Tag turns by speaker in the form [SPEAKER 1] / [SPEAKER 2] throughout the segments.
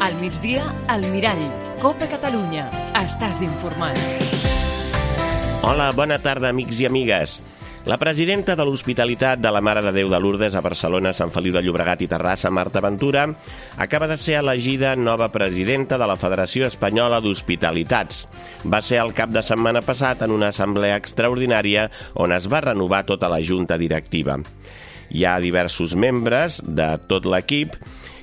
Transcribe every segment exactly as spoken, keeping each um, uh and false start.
[SPEAKER 1] Al migdia, al Mirall. Copa Catalunya. Estàs informat.
[SPEAKER 2] Hola, bona tarda, amics i amigues. La presidenta de l'Hospitalitat de la Mare de Déu de Lourdes a Barcelona, Sant Feliu de Llobregat i Terrassa, Marta Ventura, acaba de ser elegida nova presidenta de la Federació Espanyola d'Hospitalitats. Va ser el cap de setmana passat en una assemblea extraordinària on es va renovar tota la junta directiva. Hi ha diversos membres de tot l'equip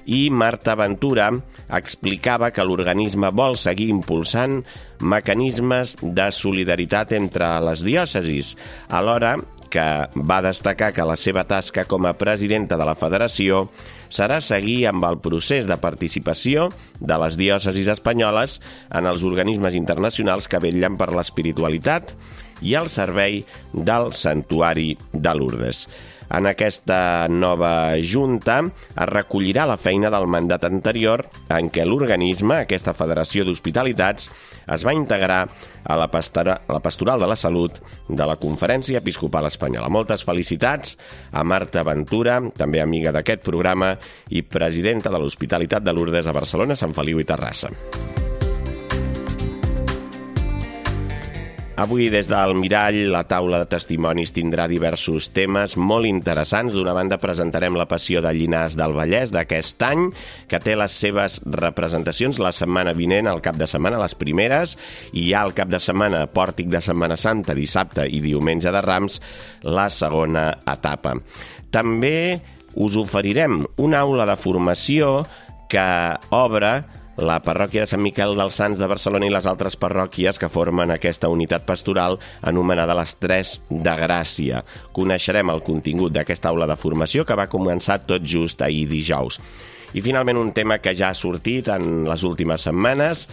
[SPEAKER 2] i Marta Ventura explicava que l'organisme vol seguir impulsant mecanismes de solidaritat entre les diòcesis, alhora que va destacar que la seva tasca com a presidenta de la federació serà seguir amb el procés de participació de les diòcesis espanyoles en els organismes internacionals que vetllen per l'espiritualitat i el servei del Santuari de Lourdes. En aquesta nova junta es recollirà la feina del mandat anterior en què l'organisme, aquesta Federació d'Hospitalitats, es va integrar a la, pastora, a la Pastoral de la Salut de la Conferència Episcopal Espanyola. Moltes felicitats a Marta Ventura, també amiga d'aquest programa i presidenta de l'Hospitalitat de Lourdes a Barcelona, Sant Feliu i Terrassa. Avui, des del Mirall, la taula de testimonis tindrà diversos temes molt interessants. D'una banda, presentarem la Passió de Llinars del Vallès d'aquest any, que té les seves representacions la setmana vinent, al cap de setmana, les primeres, i hi ha el cap de setmana, Pòrtic de Setmana Santa, dissabte i diumenge de Rams, la segona etapa. També us oferirem una aula de formació que obre la parròquia de Sant Miquel dels Sants de Barcelona i les altres parròquies que formen aquesta unitat pastoral anomenada les Tres de Gràcia. Coneixerem el contingut d'aquesta aula de formació que va començar tot just ahir dijous. I finalment un tema que ja ha sortit en les últimes setmanes,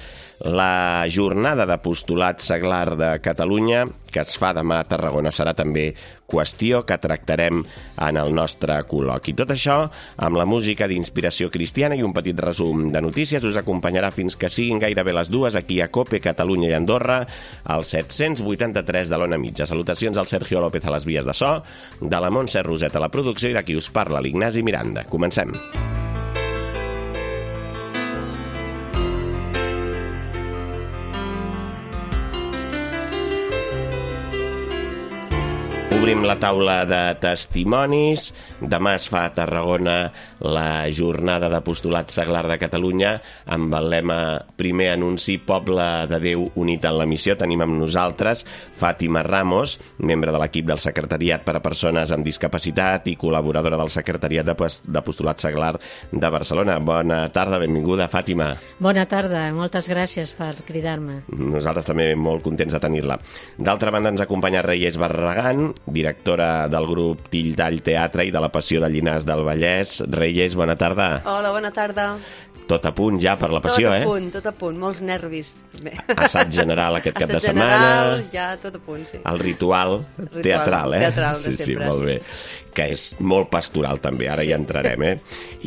[SPEAKER 2] la jornada d'apostolat seglar de Catalunya, que es fa demà a Tarragona, serà també qüestió que tractarem en el nostre col·loqui. Tot això amb la música d'inspiració cristiana i un petit resum de notícies us acompanyarà fins que siguin gairebé les dues aquí a COPE, Catalunya i Andorra, al set-cents vuitanta-tres de l'Ona Mitja. Salutacions al Sergio López a les vies de so, de la Montse Roset a la producció i de qui us parla, l'Ignasi Miranda. Comencem. Obrim la taula de testimonis. Demà es fa a Tarragona la jornada d'apostolat seglar de Catalunya amb el lema Primer anunci, poble de Déu unit en la missió. Tenim amb nosaltres Fàtima Ramos, membre de l'equip del Secretariat per a Persones amb Discapacitat i col·laboradora del Secretariat d'Apostolat Seglar de Barcelona. Bona tarda, benvinguda, Fàtima.
[SPEAKER 3] Bona tarda, moltes gràcies per cridar-me.
[SPEAKER 2] Nosaltres també molt contents de tenir-la. D'altra banda ens acompanya Reyes Barragán, directora del grup Till Tall Teatre i de la Passió de Llinars del Vallès. Reyes, bona tarda.
[SPEAKER 4] Hola, bona tarda.
[SPEAKER 2] Tot a punt ja per la Passió, eh?
[SPEAKER 4] Tot a punt, eh? tot a punt, molts nervis. També.
[SPEAKER 2] Assaig general aquest cap
[SPEAKER 4] Assaig
[SPEAKER 2] de setmana.
[SPEAKER 4] general, ja tot a punt, sí.
[SPEAKER 2] El ritual,
[SPEAKER 4] ritual
[SPEAKER 2] teatral, eh?
[SPEAKER 4] Teatral de
[SPEAKER 2] sí,
[SPEAKER 4] sempre,
[SPEAKER 2] sí, molt
[SPEAKER 4] sí.
[SPEAKER 2] bé. Que és molt pastoral també, ara
[SPEAKER 4] Sí.
[SPEAKER 2] hi entrarem, eh?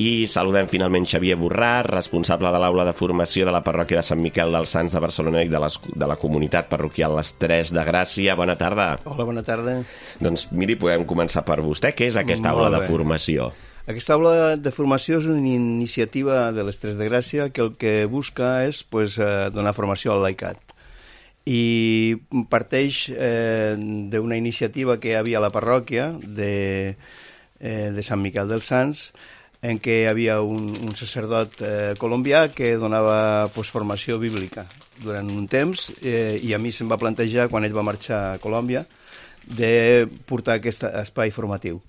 [SPEAKER 2] I saludem finalment Xavier Borràs, responsable de l'aula de formació de la parròquia de Sant Miquel dels Sants de Barcelona i de, les, de la comunitat parroquial Les Tres de Gràcia. Bona tarda.
[SPEAKER 5] Hola, bona tarda.
[SPEAKER 2] Doncs miri, podem començar per vostè. Què és aquesta
[SPEAKER 5] Molt
[SPEAKER 2] aula
[SPEAKER 5] bé.
[SPEAKER 2] de formació?
[SPEAKER 5] Aquesta aula de formació és una iniciativa de les Tres de Gràcia que el que busca és pues, eh, donar formació al laicat. I parteix eh, d'una iniciativa que hi havia a la parròquia de, eh, de Sant Miquel dels Sants, en què hi havia un, un sacerdot eh, colombià que donava pues, formació bíblica durant un temps eh, i a mi se'm va plantejar, quan ell va marxar a Colòmbia, de portar aquest espai formatiu.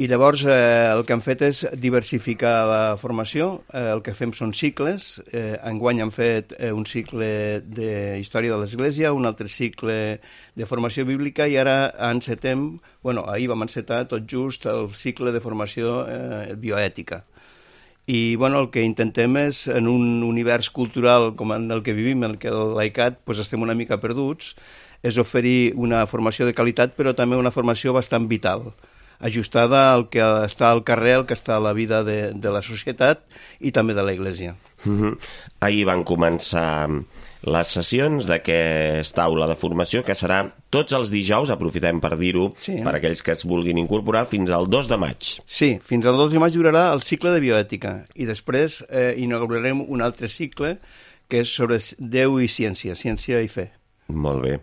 [SPEAKER 5] I llavors eh, el que hem fet és diversificar la formació, eh, el que fem són cicles, eh, enguany hem fet eh, un cicle de història de l'Església, un altre cicle de formació bíblica i ara encetem, bueno, ahir vam encetar tot just el cicle de formació eh, bioètica. I bueno, el que intentem és, en un univers cultural com en el que vivim, en el que el laicat pues, estem una mica perduts, és oferir una formació de qualitat però també una formació bastant vital, ajustada al que està al carrer, al que està a la vida de, de la societat i també de l'Església.
[SPEAKER 2] Uh-huh. Ahir van començar les sessions d'aquesta aula de formació, que serà tots els dijous, aprofitem per dir-ho,
[SPEAKER 5] Sí.
[SPEAKER 2] per aquells que es vulguin incorporar, fins al dos de maig.
[SPEAKER 5] Sí, fins al dos de maig durarà el cicle de bioètica i després eh, inaugurarem un altre cicle que és sobre Déu i ciència, ciència i fe.
[SPEAKER 2] Molt bé.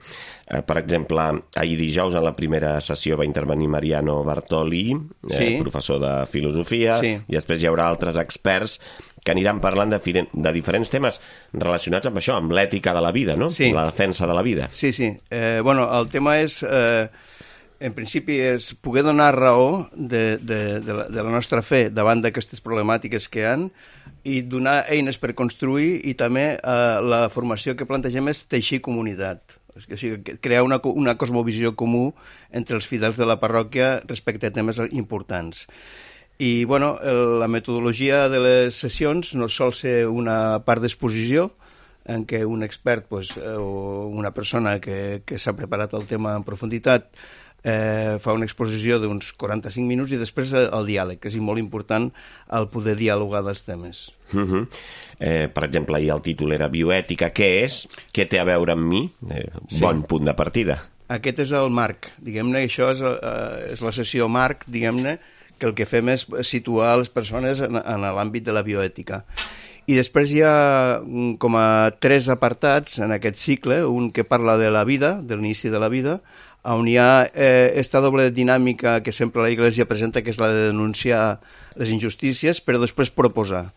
[SPEAKER 2] Eh, per exemple, ahir dijous en la primera sessió va intervenir Mariano Bartoli, eh,
[SPEAKER 5] Sí.
[SPEAKER 2] professor de filosofia,
[SPEAKER 5] Sí.
[SPEAKER 2] i després hi haurà altres experts que aniran parlant de, firen- de diferents temes relacionats amb això, amb l'ètica de la vida, no?
[SPEAKER 5] Sí.
[SPEAKER 2] La defensa de la vida.
[SPEAKER 5] Sí, sí. Eh, bueno, el tema és, eh, en principi, és poder donar raó de, de, de, la, de la nostra fe davant d'aquestes problemàtiques que hi ha i donar eines per construir, i també eh, la formació que plantegem és teixir comunitat. O sigui, crear una, una cosmovisió comú entre els fidels de la parròquia respecte a temes importants. I, bueno, el, la metodologia de les sessions no sol ser una part d'exposició, en què un expert pues, o una persona que, que s'ha preparat el tema en profunditat eh, fa una exposició d'uns quaranta-cinc minuts i després el diàleg, que és molt important el poder dialogar dels temes.
[SPEAKER 2] Uh -huh. eh, per exemple, ahir el títol era Bioètica, què és? Què té a veure amb mi? Eh,
[SPEAKER 5] Sí.
[SPEAKER 2] Bon punt de partida.
[SPEAKER 5] Aquest és el marc, diguem-ne, això és, eh, és la sessió marc, diguem-ne, que el que fem és situar les persones en, en l'àmbit de la bioètica. I després hi ha mm, com a tres apartats en aquest cicle, un que parla de la vida, de l'inici de la vida, on hi ha eh, esta doble dinàmica que sempre la Iglésia presenta, que és la de denunciar les injustícies, però després proposar.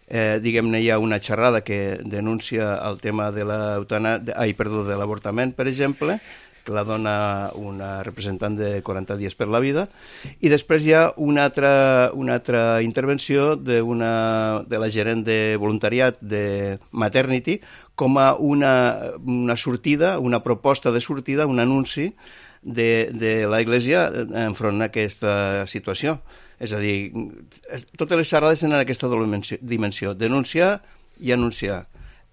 [SPEAKER 5] Eh, diguem-ne, hi ha una xerrada que denuncia el tema de l'eutana... ai, perdó, de l'avortament, per exemple, que la dona una representant de quaranta dies per la vida, i després hi ha una altra, una altra intervenció de, una, de la gerent de voluntariat de Maternity com a una, una sortida, una proposta de sortida, un anunci de, de la Iglésia enfront a aquesta situació. És a dir, totes les xerrades tenen aquesta doble dimensió, denunciar i anunciar.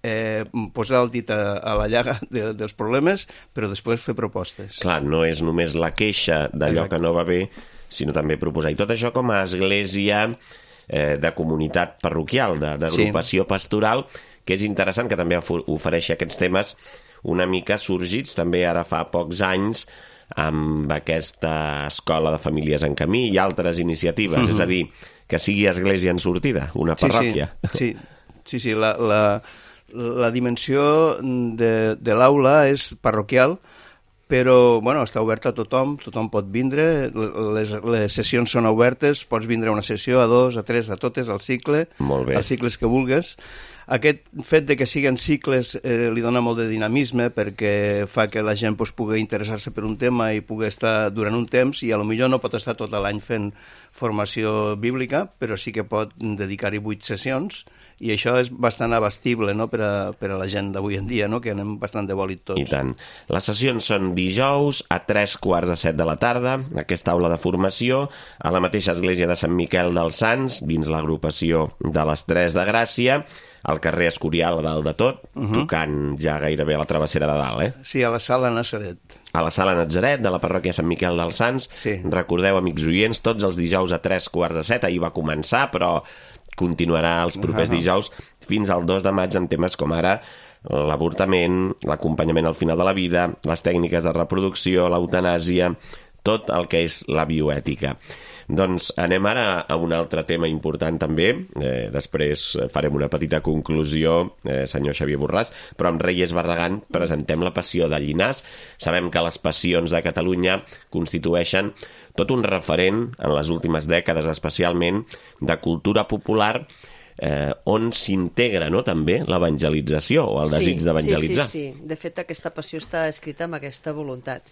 [SPEAKER 5] Eh, posar el dit a, a la llaga de, dels problemes, però després fer propostes.
[SPEAKER 2] Clar, no és només la queixa d'allò
[SPEAKER 5] Exacte.
[SPEAKER 2] que no va bé, sinó també proposar. I tot això com a església eh, de comunitat parroquial, de- d'agrupació sí. pastoral, que és interessant que també ofereixi aquests temes una mica sorgits també ara fa pocs anys amb aquesta escola de famílies en camí i altres iniciatives. Mm-hmm. És a dir, que sigui església en sortida, una parròquia.
[SPEAKER 5] Sí, sí, sí, sí la, la, la dimensió de, de l'aula és parroquial, però bueno, està oberta a tothom, tothom pot vindre, les, les sessions són obertes, pots vindre a una sessió, a dos, a tres, a totes, al cicle,
[SPEAKER 2] Molt bé.
[SPEAKER 5] als cicles que vulgues. Aquest fet de que siguin cicles eh, li dona molt de dinamisme perquè fa que la gent pues, pugui interessar-se per un tema i pugui estar durant un temps i a lo millor no pot estar tot l'any fent formació bíblica, però sí que pot dedicar-hi vuit sessions i això és bastant abastible, no?, per a, per a la gent d'avui en dia, no?, que anem bastant de bòlit tots.
[SPEAKER 2] I tant. Les sessions són dijous a tres quarts de set de la tarda, aquesta aula de formació, a la mateixa església de Sant Miquel dels Sants, dins l'agrupació de les Tres de Gràcia, al carrer Escorial, a dalt de tot, uh-huh. tocant ja gairebé a la travessera de dalt, eh?
[SPEAKER 5] Sí, a la sala Nazaret.
[SPEAKER 2] A la sala Natzaret de la parròquia Sant Miquel dels Sants.
[SPEAKER 5] Sí.
[SPEAKER 2] Recordeu, amics oients, tots els dijous a tres quarts de set, ahir va començar, però continuarà els propers
[SPEAKER 5] Uh-huh.
[SPEAKER 2] dijous fins al dos de maig amb temes com ara l'avortament, l'acompanyament al final de la vida, les tècniques de reproducció, l'eutanàsia, tot el que és la bioètica. Doncs anem ara a un altre tema important també, eh, després farem una petita conclusió, eh, senyor Xavier Borràs, però amb Reyes Barragán presentem la Passió de Llinars. Sabem que les passions de Catalunya constitueixen tot un referent en les últimes dècades, especialment de cultura popular, eh, on s'integra, no?, també l'evangelització o el desig
[SPEAKER 4] sí,
[SPEAKER 2] d'evangelitzar.
[SPEAKER 4] Sí, sí, sí. De fet, aquesta passió està escrita amb aquesta voluntat.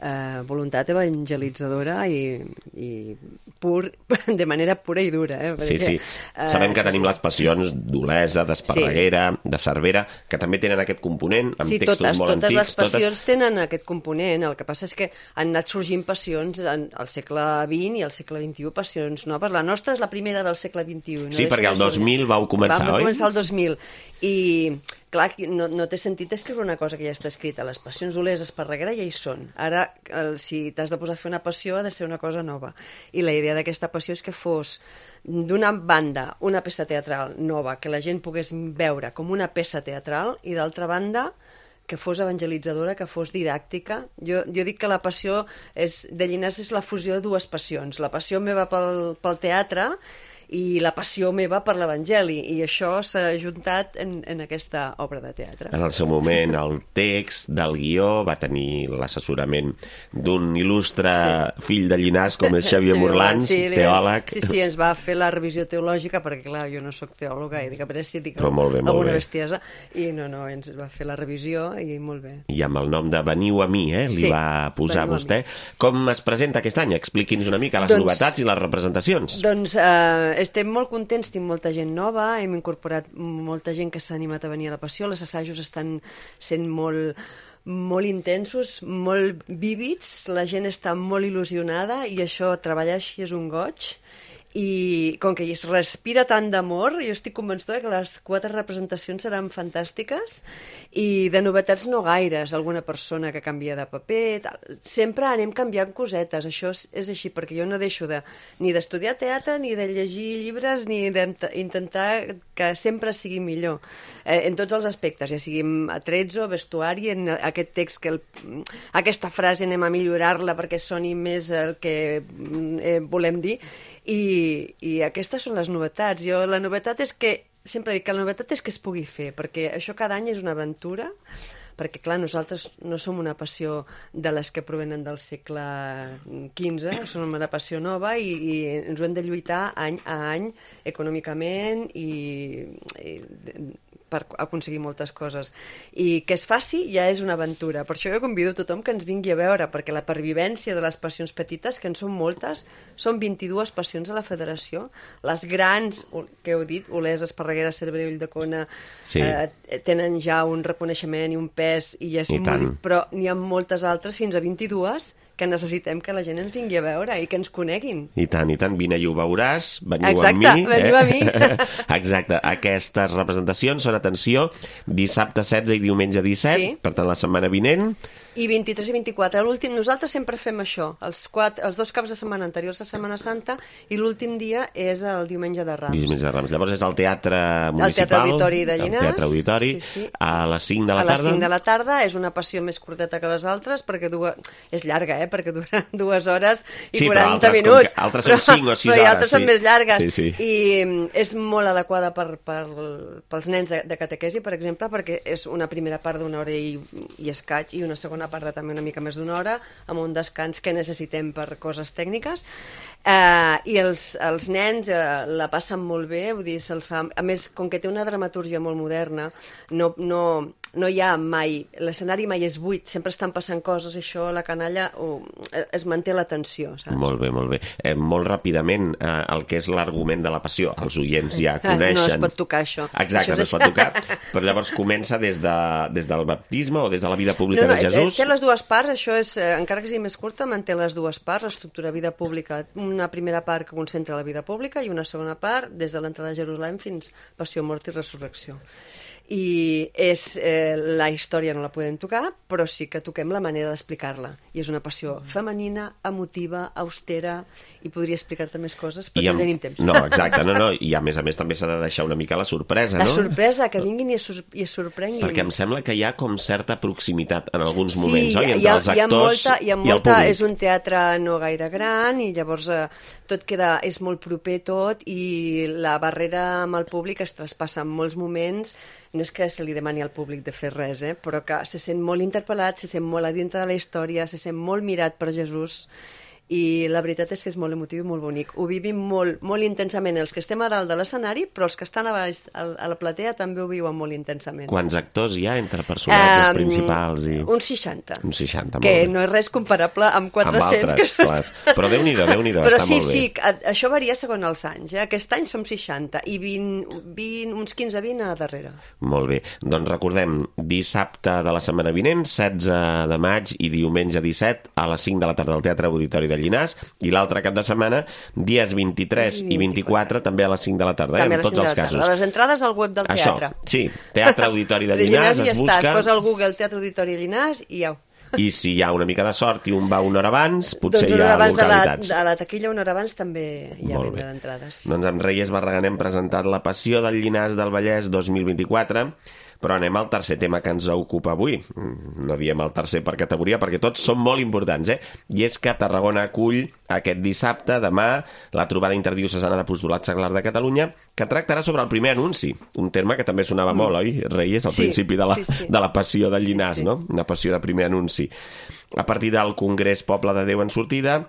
[SPEAKER 4] Uh, voluntat evangelitzadora i, i pur, de manera pura i dura. Eh?
[SPEAKER 2] Sí,
[SPEAKER 4] Perquè,
[SPEAKER 2] sí. Sabem
[SPEAKER 4] uh,
[SPEAKER 2] que tenim
[SPEAKER 4] sí.
[SPEAKER 2] les passions d'Olesa, d'Esparreguera, sí. de Cervera, que també tenen aquest component, amb
[SPEAKER 4] sí,
[SPEAKER 2] textos
[SPEAKER 4] totes,
[SPEAKER 2] molt
[SPEAKER 4] totes
[SPEAKER 2] antics.
[SPEAKER 4] les passions totes... tenen aquest component. El que passa és que han anat sorgint passions en, al segle vint i al segle vint-i-u, passions noves. La nostra és la primera del segle vint-i-u. No
[SPEAKER 2] Sí, perquè el dos mil vau començar,
[SPEAKER 4] Vam
[SPEAKER 2] oi?
[SPEAKER 4] començar el dos mil. I, clar, no, no té sentit escriure una cosa que ja està escrita. Les passions d'Olesa Esparreguera ja hi són. Ara, el, si t'has de posar a fer una passió, ha de ser una cosa nova. I la idea d'aquesta passió és que fos, d'una banda, una peça teatral nova, que la gent pogués veure com una peça teatral, i d'altra banda, que fos evangelitzadora, que fos didàctica. Jo, jo dic que la passió és, de Llinàs és la fusió de dues passions. La passió meva pel, pel teatre i la passió meva per l'Evangeli, i això s'ha juntat en, en aquesta obra de teatre.
[SPEAKER 2] En el seu moment, el text del guió va tenir l'assessorament d'un il·lustre sí. fill de Llinàs, com és Xavier Morlans, sí, teòleg.
[SPEAKER 4] Sí, sí, ens va fer la revisió teològica, perquè clar, jo no sóc teòloga, i dic, a veure si dic
[SPEAKER 2] bé,
[SPEAKER 4] alguna bestiesa, i no, no, ens va fer la revisió, i molt bé.
[SPEAKER 2] I amb el nom de Veniu a mi, eh, li sí, va posar vostè. Com es presenta aquest any? Expliqui'ns una mica les doncs, novetats i les representacions.
[SPEAKER 4] Doncs eh, estem molt contents, tinc molta gent nova, hem incorporat molta gent que s'ha animat a venir a la Passió, els assajos estan sent molt, molt intensos, molt vívids, la gent està molt il·lusionada i això, treballar així és un goig. I com que es respira tant d'amor, jo estic convençuda que les quatre representacions seran fantàstiques, i de novetats no gaires, alguna persona que canvia de paper, tal. Sempre anem canviant cosetes, això és, és així, perquè jo no deixo de, ni d'estudiar teatre, ni de llegir llibres, ni d'intentar que sempre sigui millor, eh, en tots els aspectes, ja sigui atrezzo, vestuari, en aquest text, que el, aquesta frase anem a millorar-la perquè soni més el que eh, volem dir. I, i aquestes són les novetats. Jo, la novetat és que, sempre dic que la novetat és que es pugui fer, perquè això cada any és una aventura, perquè clar, nosaltres no som una passió de les que provenen del segle quinze, som una passió nova i, i ens ho hem de lluitar any a any econòmicament i, i per aconseguir moltes coses. I que es faci ja és una aventura. Per això jo convido a tothom que ens vingui a veure, perquè la pervivència de les passions petites, que en són moltes, són vint-i-dues passions a la federació. Les grans, que heu dit, Olesa, Esparreguera, Cervera i Ulldecona, sí. eh, tenen ja un reconeixement i un pes, i ja és molt, però n'hi ha moltes altres, fins a vint-i-dues, que necessitem que la gent ens vingui a veure i que ens coneguin.
[SPEAKER 2] I tant, i tant. Vine i ho veuràs, veniu
[SPEAKER 4] Exacte,
[SPEAKER 2] amb mi.
[SPEAKER 4] Veniu
[SPEAKER 2] eh?
[SPEAKER 4] a mi.
[SPEAKER 2] Exacte. Aquestes representacions són, atenció, dissabte setze i diumenge disset, sí. Per tant, la setmana vinent.
[SPEAKER 4] I vint-i-tres i vint-i-quatre. L'últim, nosaltres sempre fem això, els, quatre, els dos caps de setmana anteriors a Setmana Santa, i l'últim dia és el diumenge de Rams.
[SPEAKER 2] Diumenge de Rams. Llavors és el Teatre Municipal.
[SPEAKER 4] El Teatre Auditori de Llinàs.
[SPEAKER 2] El Teatre Auditori, sí, sí. A les cinc de la tarda.
[SPEAKER 4] A les cinc de la tarda. És una passió més curteta que les altres, perquè dues... és llarga, eh? Perquè dura dues hores i sí, quaranta
[SPEAKER 2] altres,
[SPEAKER 4] minuts.
[SPEAKER 2] Altres són cinc o sis hores.
[SPEAKER 4] Però altres
[SPEAKER 2] sí.
[SPEAKER 4] són més llargues.
[SPEAKER 2] Sí, sí.
[SPEAKER 4] I és molt adequada per, per, pels nens de, de catequesi, per exemple, perquè és una primera part d'una hora i, i escaig, i una segona part de també una mica més d'una hora, amb un descans que necessitem per coses tècniques, eh, i els, els nens eh, la passen molt bé, vull dir, se'ls fa... A més, com que té una dramatúrgia molt moderna, no, no, no hi ha mai... L'escenari mai és buit, sempre estan passant coses, això, la canalla, o, es manté la tensió, saps?
[SPEAKER 2] Molt bé, molt bé. Eh, molt ràpidament, eh, el que és l'argument de la passió, els oients ja coneixen...
[SPEAKER 4] No es pot tocar, això.
[SPEAKER 2] Exacte,
[SPEAKER 4] això
[SPEAKER 2] no es pot tocar, però llavors comença des, de, des del baptisme o des de la vida pública
[SPEAKER 4] no, no,
[SPEAKER 2] de Jesús.
[SPEAKER 4] Té les dues parts, això és, eh, encara que sigui més curta, manté les dues parts, l'estructura vida pública, una primera part que concentra la vida pública i una segona part des de l'entrada a Jerusalem fins passió, mort i resurrecció. I és, eh, la història no la podem tocar, però sí que toquem la manera d'explicar-la. I és una passió femenina, emotiva, austera, i podria explicar-te més coses, però no tenim temps.
[SPEAKER 2] No, exacte, no, no, i a més a més també s'ha de deixar una mica la sorpresa, no?
[SPEAKER 4] La sorpresa, que vinguin i es, i es sorprenguin.
[SPEAKER 2] Perquè em sembla que hi ha com certa proximitat en alguns
[SPEAKER 4] sí,
[SPEAKER 2] moments, oi? Entre
[SPEAKER 4] hi ha,
[SPEAKER 2] els actors
[SPEAKER 4] hi ha molta, hi ha molta,
[SPEAKER 2] i el públic.
[SPEAKER 4] És un teatre no gaire gran i llavors eh, tot queda, és molt proper tot, i la barrera amb el públic es traspassa en molts moments. No és que se li demani al públic de fer res, eh? Però que se sent molt interpel·lat, se sent molt a dintre de la història, se sent molt mirat per Jesús, i la veritat és que és molt emotiu i molt bonic. Ho vivim molt, molt intensament els que estem a dalt de l'escenari, però els que estan a baix a la platea també ho viuen molt intensament.
[SPEAKER 2] Quants actors hi ha entre personatges um, principals? I...
[SPEAKER 4] Uns seixanta.
[SPEAKER 2] Uns seixanta, molt
[SPEAKER 4] que
[SPEAKER 2] bé.
[SPEAKER 4] no és res comparable amb quatre-cents.
[SPEAKER 2] Amb altres, que... clar. Però Déu-n'hi-do, Déu-n'hi-do,
[SPEAKER 4] però
[SPEAKER 2] està
[SPEAKER 4] sí,
[SPEAKER 2] molt bé.
[SPEAKER 4] Però sí, això varia segons els anys. Eh? Aquest any som seixanta i vint, vint, uns quinze a vint a darrere.
[SPEAKER 2] Molt bé. Doncs recordem, dissabte de la setmana vinent, setze de maig, i diumenge disset a les cinc de la tarda al Teatre Auditori de de Llinars, i l'altre cap de setmana, dies vint-i-tres i vint-i-quatre, també a les cinc de la tarda, eh, en tots els casos.
[SPEAKER 4] Les entrades al web del
[SPEAKER 2] Això,
[SPEAKER 4] teatre.
[SPEAKER 2] sí, Teatre Auditori de Llinars,
[SPEAKER 4] de Llinars
[SPEAKER 2] es
[SPEAKER 4] ja
[SPEAKER 2] busca...
[SPEAKER 4] està, es posa al Google Teatre Auditori de Llinars i ja...
[SPEAKER 2] I si hi ha una mica de sort i un va una hora abans, potser
[SPEAKER 4] doncs
[SPEAKER 2] hi ha
[SPEAKER 4] abans
[SPEAKER 2] localitats.
[SPEAKER 4] De la, de la taquilla una hora abans també hi ha
[SPEAKER 2] Molt
[SPEAKER 4] venda
[SPEAKER 2] bé.
[SPEAKER 4] d'entrades.
[SPEAKER 2] Doncs amb Reyes Barragán hem presentat La Passió del Llinars del Vallès dos mil vint-i-quatre, però anem al tercer tema que ens ocupa avui. No diem el tercer per categoria, perquè tots són molt importants, eh? I és que Tarragona acull aquest dissabte, demà, la trobada interdiocesana d'Apostolat Seglar de Catalunya, que tractarà sobre el primer anunci, un terme que també sonava mm. molt, oi, Reyes, al
[SPEAKER 4] sí,
[SPEAKER 2] principi de la,
[SPEAKER 4] sí, sí.
[SPEAKER 2] de la Passió del Llinars,
[SPEAKER 4] sí, sí.
[SPEAKER 2] no? Una passió de primer anunci. A partir del Congrés Poble de Déu en sortida,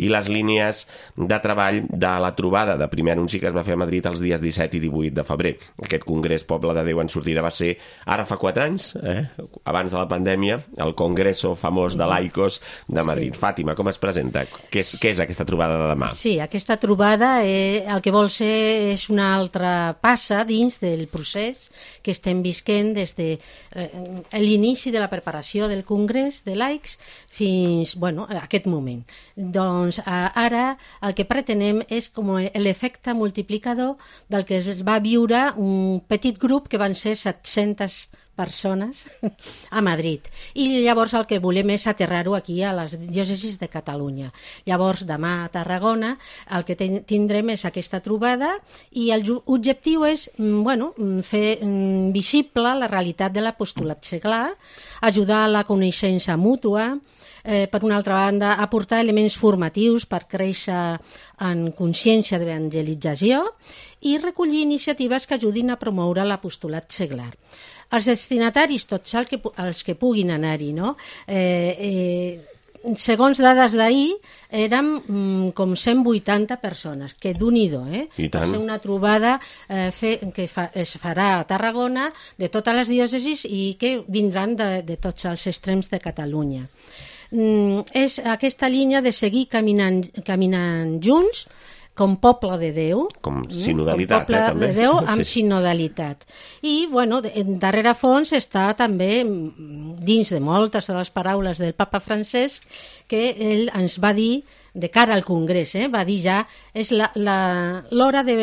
[SPEAKER 2] i les línies de treball de la trobada de primer anunci que es va fer a Madrid els dies disset i divuit de febrer. Aquest Congrés Poble de Déu en sortida va ser ara fa quatre anys, eh? Abans de la pandèmia, el Congreso famós de Laicos de Madrid. Sí. Fàtima, com es presenta? Què és, què és aquesta trobada de demà?
[SPEAKER 3] Sí, aquesta trobada eh, el que vol ser és una altra passa dins del procés que estem visquent des de eh, l'inici de la preparació del Congrés de Laics fins, bueno, a aquest moment. Doncs ara el que pretenem és com l'efecte multiplicador del que es va viure un petit grup que van ser set-centes persones a Madrid. I llavors el que volem és aterrar-ho aquí a les diòcesis de Catalunya. Llavors demà a Tarragona el que ten tindrem és aquesta trobada i l'objectiu és bueno, fer visible la realitat de l'apostolat seglar, ajudar a la coneixença mútua, Eh, per una altra banda, aportar elements formatius per créixer en consciència d'evangelització i recollir iniciatives que ajudin a promoure l'apostolat seglar. Els destinataris, tots els que, els que puguin anar-hi, no? Eh, eh, segons dades d'ahir, érem mm, com cent vuitanta persones, que d'un-i-do, eh?
[SPEAKER 2] I tant.
[SPEAKER 3] Va ser una trobada eh, fe, que fa, es farà a Tarragona, de totes les diòcesis i que vindran de, de tots els extrems de Catalunya. Mm, és aquesta línia de seguir caminant, caminant junts com poble de Déu.
[SPEAKER 2] Com sinodalitat,
[SPEAKER 3] com poble
[SPEAKER 2] eh, també.
[SPEAKER 3] de Déu amb
[SPEAKER 2] Sí.
[SPEAKER 3] sinodalitat. I, bueno, darrere fons està també, dins de moltes de les paraules del papa Francesc, que ell ens va dir, de cara al Congrés, eh, va dir ja, és l'hora de,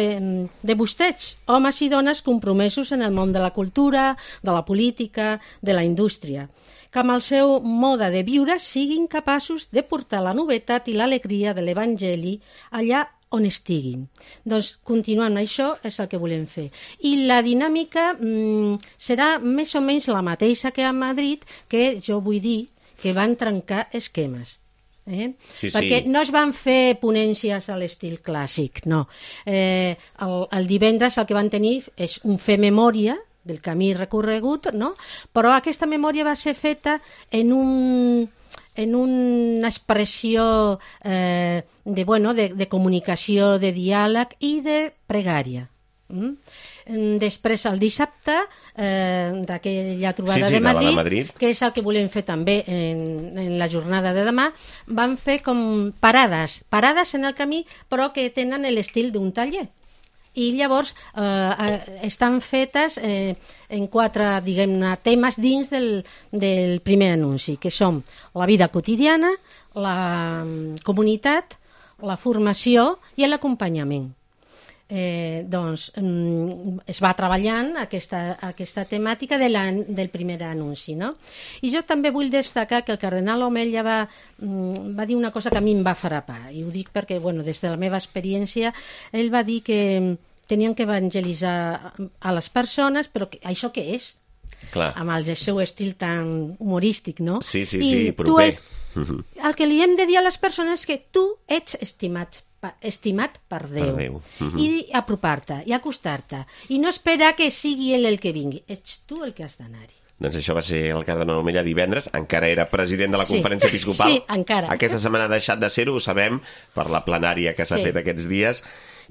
[SPEAKER 3] de vostès, homes i dones compromesos en el món de la cultura, de la política, de la indústria, que amb el seu mode de viure siguin capaços de portar la novetat i l'alegria de l'Evangeli allà on estiguin. Doncs continuant això és el que volem fer. I la dinàmica mm, serà més o menys la mateixa que a Madrid, que jo vull dir que van trencar esquemes. Eh?
[SPEAKER 2] Sí, sí.
[SPEAKER 3] Perquè no es van fer ponències a l'estil clàssic, no. Eh, el, el divendres el que van tenir és un fer memòria del camí recorregut, no? Però aquesta memòria va ser feta en un en una expressió eh, de, bueno, de, de comunicació, de diàleg i de pregària. Mm? Després, el dissabte, eh, d'aquella trobada
[SPEAKER 2] sí, sí,
[SPEAKER 3] de, Madrid,
[SPEAKER 2] de Madrid,
[SPEAKER 3] que és el que volem fer també en, en la jornada de demà, van fer com parades, parades en el camí, però que tenen l'estil d'un taller. I llavors eh, estan fetes eh, en quatre, diguem-ne, temes dins del, del primer anunci, que són la vida quotidiana, la comunitat, la formació i l'acompanyament. Eh, doncs es va treballant aquesta, aquesta temàtica de la, del primer anunci, no? I jo també vull destacar que el cardenal Omella va, va dir una cosa que a mi em va frapar, i ho dic perquè, bueno, des de la meva experiència, ell va dir que tenien que evangelitzar a les persones, però que, això què és?
[SPEAKER 2] Clar.
[SPEAKER 3] Amb el seu estil tan humorístic, no?
[SPEAKER 2] Sí, sí,
[SPEAKER 3] I
[SPEAKER 2] sí, proper.
[SPEAKER 3] Tu, el que li hem de dir a les persones és que tu ets estimat estimat per Déu,
[SPEAKER 2] per Déu. Uh-huh.
[SPEAKER 3] I apropar-te i acostar-te i no esperar que sigui ell el que vingui, ets tu el que has d'anar-hi.
[SPEAKER 2] Doncs això va ser el cardenal Omella divendres, encara era president de la
[SPEAKER 3] Sí.
[SPEAKER 2] Conferència Episcopal.
[SPEAKER 3] Sí, encara.
[SPEAKER 2] Aquesta setmana ha deixat de ser-ho, ho sabem, per la plenària que s'ha
[SPEAKER 3] Sí.
[SPEAKER 2] fet aquests dies.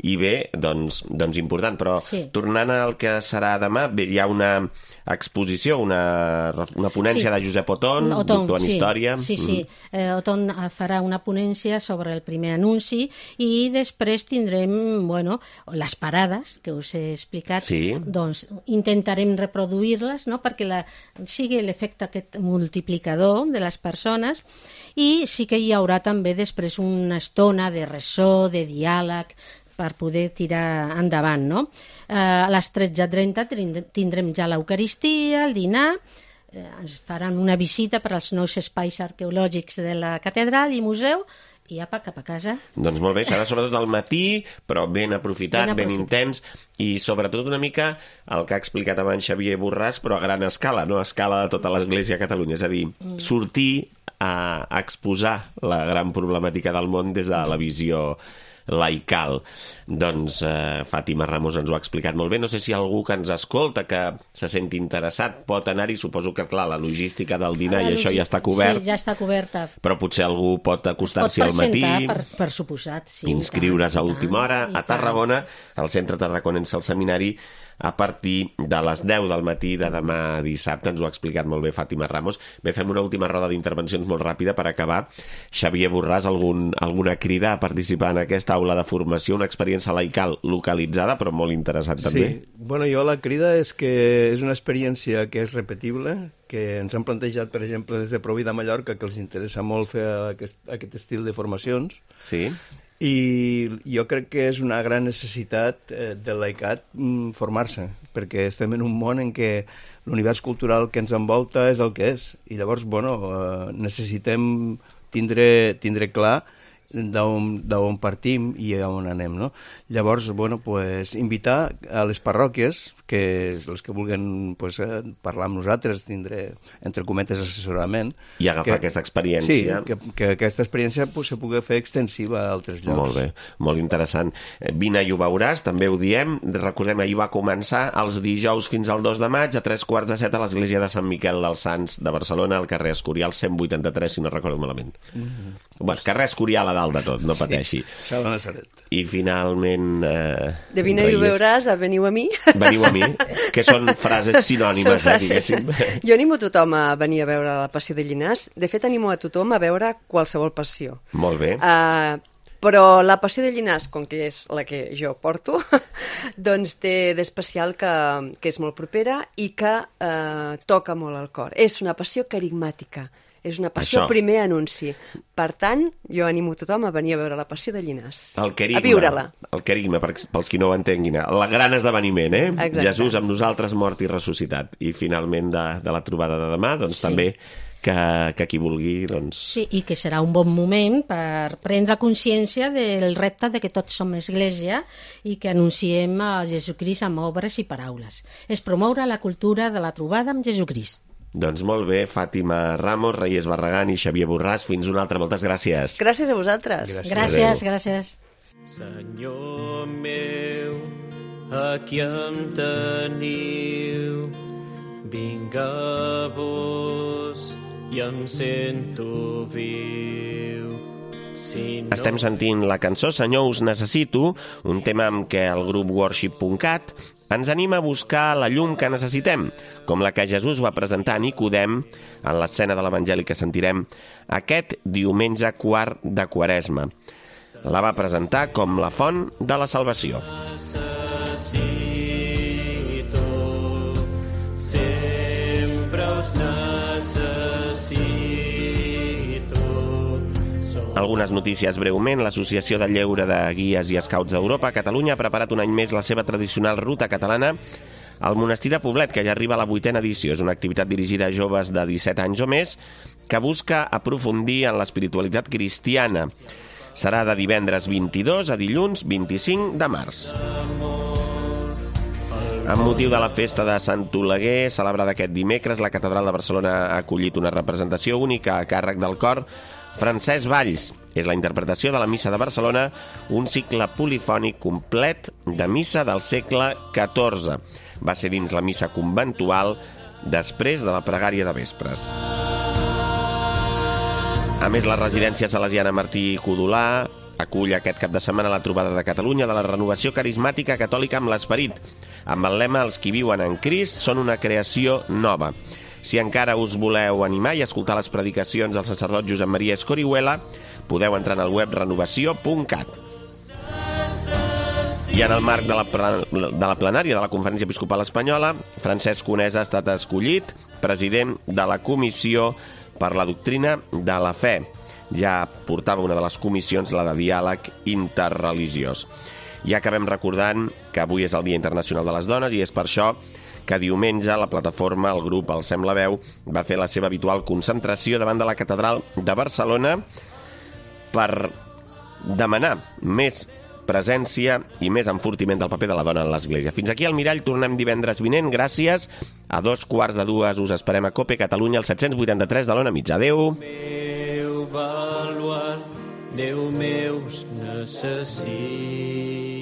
[SPEAKER 2] i bé, doncs, doncs important. Però
[SPEAKER 3] Sí.
[SPEAKER 2] tornant al que serà demà, bé, hi ha una exposició, una, una ponència
[SPEAKER 3] Sí.
[SPEAKER 2] de Josep Oton, doctor en
[SPEAKER 3] sí,
[SPEAKER 2] Història.
[SPEAKER 3] Sí, sí. Eh, Oton farà una ponència sobre el primer anunci i després tindrem, bueno, les parades que us he explicat.
[SPEAKER 2] Sí.
[SPEAKER 3] Doncs intentarem reproduir-les, no?, perquè la, sigui l'efecte aquest multiplicador de les persones, i sí que hi haurà també després una estona de ressò, de diàleg, per poder tirar endavant, no? Eh, a les tretze trenta tindrem ja l'Eucaristia, el dinar, eh, ens faran una visita per als nous espais arqueològics de la catedral i museu, i apa, cap a casa.
[SPEAKER 2] Doncs molt bé, serà sobretot al matí, però ben aprofitat, ben,
[SPEAKER 3] Ben
[SPEAKER 2] ben
[SPEAKER 3] aprofitat.
[SPEAKER 2] intens, i sobretot una mica el que ha explicat abans Xavier Borràs, però a gran escala, no? A escala de tota l'Església a Catalunya. És a dir, mm. sortir a, a exposar la gran problemàtica del món des de la visió laical. Doncs eh, Fàtima Ramos ens ho ha explicat molt bé. No sé si algú que ens escolta, que se senti interessat, pot anar-hi. Suposo que, clar, la logística del dinar i això ja està cobert.
[SPEAKER 3] Sí, ja està coberta.
[SPEAKER 2] Però potser algú pot acostar-s'hi al matí,
[SPEAKER 3] per, per suposat. Sí,
[SPEAKER 2] inscriure's a última hora.
[SPEAKER 3] I
[SPEAKER 2] A Tarragona, al Centre Tarraconense al Seminari, a partir de les deu del matí de demà dissabte. Ens ho ha explicat molt bé Fàtima Ramos. Bé, fem una última roda d'intervencions molt ràpida per acabar. Xavier Borràs, algun, alguna crida a participar en aquesta aula de formació, una experiència laical localitzada, però molt interessant també.
[SPEAKER 5] Sí, bueno, jo la crida és que és una experiència que és repetible, que ens han plantejat, per exemple, des de Provi de Mallorca, que els interessa molt fer aquest, aquest estil de formacions.
[SPEAKER 2] Sí.
[SPEAKER 5] I jo crec que és una gran necessitat eh, del laicat mm, formar-se, perquè estem en un món en què l'univers cultural que ens envolta és el que és, i llavors, bueno, eh, necessitem tindre, tindre clar d'on partim i a on anem, no? Llavors, bueno, pues, invitar a les parròquies, que els que vulguin pues, parlar amb nosaltres, tindre, entre cometes, assessorament.
[SPEAKER 2] I agafar
[SPEAKER 5] que,
[SPEAKER 2] aquesta experiència.
[SPEAKER 5] Sí, que, que aquesta experiència pues, se pugui fer extensiva a altres llocs.
[SPEAKER 2] Molt bé, molt interessant. Vine i ho veuràs, també ho diem. Recordem, ahir va començar els dijous fins al dos de maig, a tres quarts de set a l'església de Sant Miquel dels Sants de Barcelona, al carrer Escorial cent vuitanta-tres, si no recordo malament. Mm-hmm. Bueno, carrer Escorial a dalt de tot, no pateixi.
[SPEAKER 5] Sí, Sala Nazaret.
[SPEAKER 2] I finalment... Eh,
[SPEAKER 4] de vine i ho veuràs, a veniu a mi.
[SPEAKER 2] Veniu a mi, que són frases sinònimes,
[SPEAKER 4] són frases.
[SPEAKER 2] Eh, diguéssim.
[SPEAKER 4] Jo animo a tothom a venir a veure la Passió de Llinars. De fet, animo a tothom a veure qualsevol passió.
[SPEAKER 2] Molt bé.
[SPEAKER 4] Uh, però la Passió de Llinars, com que és la que jo porto, doncs té d'especial que, que és molt propera i que uh, toca molt al cor. És una passió carismàtica. És una passió
[SPEAKER 2] Això.
[SPEAKER 4] primer anunci. Per tant, jo animo tothom a venir a veure la Passió de Llinars.
[SPEAKER 2] El querigma,
[SPEAKER 4] a viure-la.
[SPEAKER 2] El querigma, pels qui no ho entenguin. El gran esdeveniment, eh?
[SPEAKER 4] Exacte.
[SPEAKER 2] Jesús amb nosaltres, mort i ressuscitat. I finalment de, de la trobada de demà, doncs
[SPEAKER 3] Sí.
[SPEAKER 2] també que, que qui vulgui, doncs...
[SPEAKER 3] Sí, i que serà un bon moment per prendre consciència del repte de que tots som església i que anunciem a Jesucrist amb obres i paraules. És promoure la cultura de la trobada amb Jesucrist.
[SPEAKER 2] Doncs molt bé, Fàtima Ramos, Reyes Barragán i Xavier Borràs. Fins una altra, moltes gràcies.
[SPEAKER 4] Gràcies a vosaltres.
[SPEAKER 5] Gràcies.
[SPEAKER 3] Gràcies, gràcies.
[SPEAKER 6] Senyor meu, aquí em teniu, vinc a vos i em sento viu. Si no...
[SPEAKER 2] Estem sentint la cançó Senyor, us necessito, un tema amb què el grup worship punt cat ens anima a buscar la llum que necessitem, com la que Jesús va presentar a Nicodem en l'escena de l'Evangeli que sentirem aquest diumenge quart de Quaresma. La va presentar com la font de la salvació.
[SPEAKER 6] Necessito, sempre us necessito. Som
[SPEAKER 2] Algunes notícies breument. L'Associació de Lleure de Guies i Scouts d'Europa a Catalunya ha preparat un any més la seva tradicional ruta catalana al Monestir de Poblet, que ja arriba a la vuitena edició. És una activitat dirigida a joves de disset anys o més que busca aprofundir en l'espiritualitat cristiana. Serà de divendres vint-i-dos a dilluns vint-i-cinc de març. Amb motiu de la festa de Sant Oleguer, celebrada aquest dimecres, la Catedral de Barcelona ha acollit una representació única a càrrec del cor Francesc Valls. És la interpretació de la Missa de Barcelona, un cicle polifònic complet de missa del segle catorze. Va ser dins la missa conventual després de la pregària de vespres. A més, la residència salesiana Martí Codolà acull aquest cap de setmana la trobada de Catalunya de la renovació carismàtica catòlica amb l'esperit, amb el lema «Els qui viuen en Crist són una creació nova». Si encara us voleu animar i escoltar les predicacions del sacerdot Josep Maria Escorihuela, podeu entrar en el web renovació punt cat. I en el marc de la, de la plenària de la Conferència Episcopal Espanyola, Francesc Conesa ha estat escollit president de la Comissió per la Doctrina de la Fe. Ja portava una de les comissions, la de diàleg interreligiós. I acabem recordant que avui és el Dia Internacional de les Dones i és per això que diumenge la plataforma, el grup El Sem la Veu, va fer la seva habitual concentració davant de la Catedral de Barcelona per demanar més presència i més enfortiment del paper de la dona en l'Església. Fins aquí al Mirall, tornem divendres vinent. Gràcies. A dos quarts de dues us esperem a Cope Catalunya, el set-cents vuitanta-tres de l'Ona Mitja. Adéu.
[SPEAKER 6] Meu baluart, Déu meus necessita.